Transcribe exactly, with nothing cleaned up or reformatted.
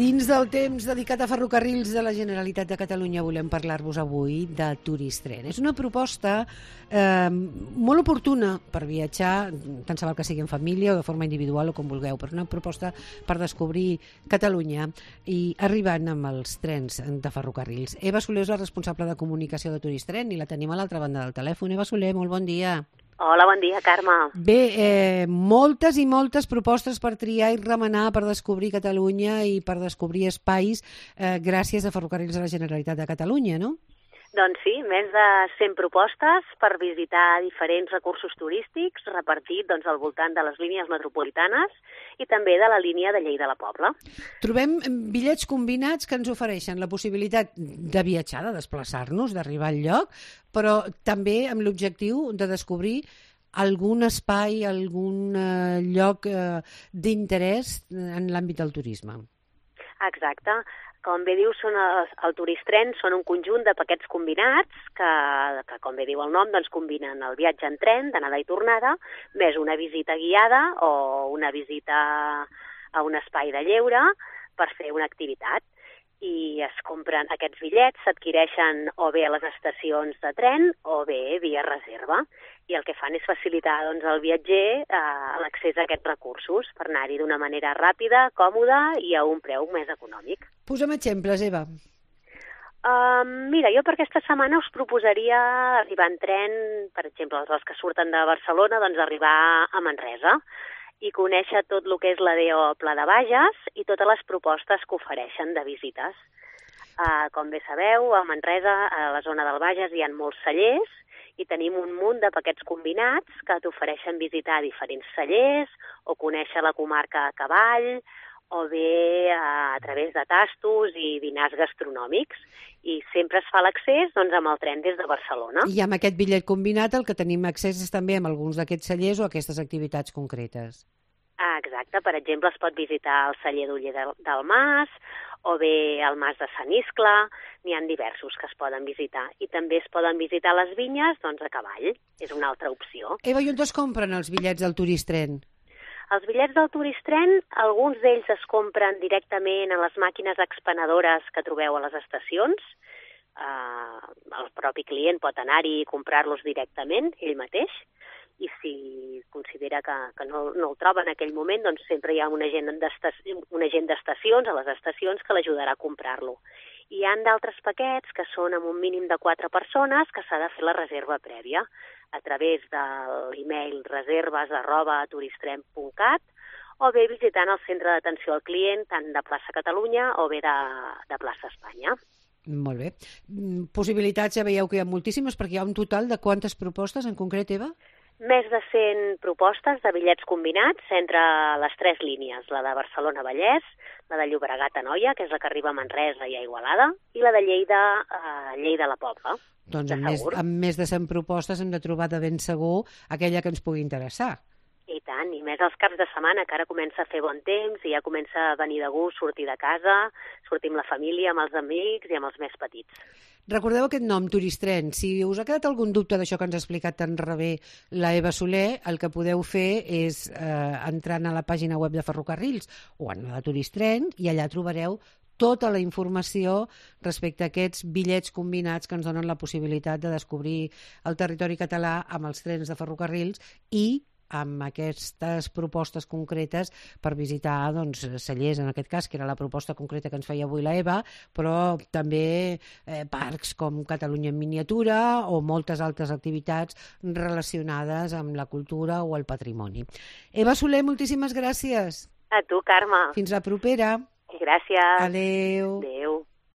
Dins del temps dedicat a ferrocarrils de la Generalitat de Catalunya volem parlar-vos avui de Turistren. És una proposta eh, molt oportuna per viatjar, tant se val que sigui en família o de forma individual o com vulgueu, però una proposta per descobrir Catalunya i arribant amb els trens de ferrocarrils. Eva Soler és la responsable de comunicació de Turistren i la tenim a l'altra banda del telèfon. Eva Soler, molt bon dia. Hola, bon dia, Carme. Bé, eh, moltes i moltes propostes per triar i remenar per descobrir Catalunya i per descobrir espais eh, gràcies a Ferrocarrils de la Generalitat de Catalunya, no? Doncs sí, més de cent propostes per visitar diferents recursos turístics repartit doncs, al voltant de les línies metropolitanes i també de la línia de Lleida a la Pobla. Trobem bitllets combinats que ens ofereixen la possibilitat de viatjar, de desplaçar-nos, d'arribar al lloc, però també amb l'objectiu de descobrir algun espai, algun eh, lloc eh, d'interès en l'àmbit del turisme. Exacte. Com bé diu, són els, el Turistren són un conjunt de paquets combinats que, que com bé diu el nom, doncs combinen el viatge en tren, d'anada i tornada, més una visita guiada o una visita a un espai de lleure per fer una activitat. I es compren aquests bitllets, s'adquireixen o bé a les estacions de tren o bé via reserva. I el que fan és facilitar doncs, al viatger eh, l'accés a aquests recursos per anar-hi d'una manera ràpida, còmoda i a un preu més econòmic. Posa'm exemples, Eva. Uh, mira, jo per aquesta setmana us proposaria arribar en tren, per exemple, els que surten de Barcelona, doncs arribar a Manresa i conèixer tot el que és l'A D O Pla de Bages i totes les propostes que ofereixen de visites. Uh, com bé sabeu, a Manresa, a la zona del Bages, hi ha molts cellers i tenim un munt de paquets combinats que t'ofereixen visitar diferents cellers o conèixer la comarca a cavall o bé uh, a través de tastos i dinars gastronòmics. I sempre es fa l'accés doncs, amb el tren des de Barcelona. I amb aquest bitllet combinat el que tenim accés és també amb alguns d'aquests cellers o aquestes activitats concretes. Ah, exacte. Per exemple, es pot visitar el celler d'Oller del, del Mas o bé el Mas de Sant Iscle. N'hi ha diversos que es poden visitar. I també es poden visitar les vinyes doncs, a cavall. És una altra opció. Eva, i on es compren els bitllets del Turistren? Els bitllets del Turistren, alguns d'ells es compren directament a les màquines expenedores que trobeu a les estacions. Uh, el propi client pot anar-hi i comprar-los directament, ell mateix, i si considera que, que no, no el troba en aquell moment, doncs sempre hi ha un agent d'estacions a les estacions que l'ajudarà a comprar-lo. Hi ha d'altres paquets que són amb un mínim de quatre persones que s'ha de fer la reserva prèvia a través de l'email reserves arroba turistren punt cat o bé visitant el centre d'atenció al client tant de plaça Catalunya o bé de, de plaça Espanya. Molt bé. Possibilitats ja veieu que hi ha moltíssimes perquè hi ha un total de quantes propostes en concret, Eva? Més de cent propostes de bitllets combinats entre les tres línies, la de Barcelona-Vallès, la de Llobregat-Anoia, que és la que arriba a Manresa i a Igualada, i la de Lleida a Lleida a la Pobla. Doncs amb més, amb més de cent propostes hem de trobar de ben segur aquella que ens pugui interessar. I tant, i més els caps de setmana, que ara comença a fer bon temps i ja comença a venir de gust sortir de casa, sortir amb la família, amb els amics i amb els més petits. Recordeu aquest nom, Turistren. Si us ha quedat algun dubte d'això que ens ha explicat tan rebé la Eva Soler, el que podeu fer és eh, entrant a la pàgina web de Ferrocarrils o en la de Turistren i allà trobareu tota la informació respecte a aquests bitllets combinats que ens donen la possibilitat de descobrir el territori català amb els trens de ferrocarrils i amb aquestes propostes concretes per visitar doncs, cellers, en aquest cas, que era la proposta concreta que ens feia avui la Eva, però també eh, parcs com Catalunya en miniatura o moltes altres activitats relacionades amb la cultura o el patrimoni. Eva Soler, moltíssimes gràcies. A tu, Carme. Fins la propera. Gràcies. Adéu. Adéu.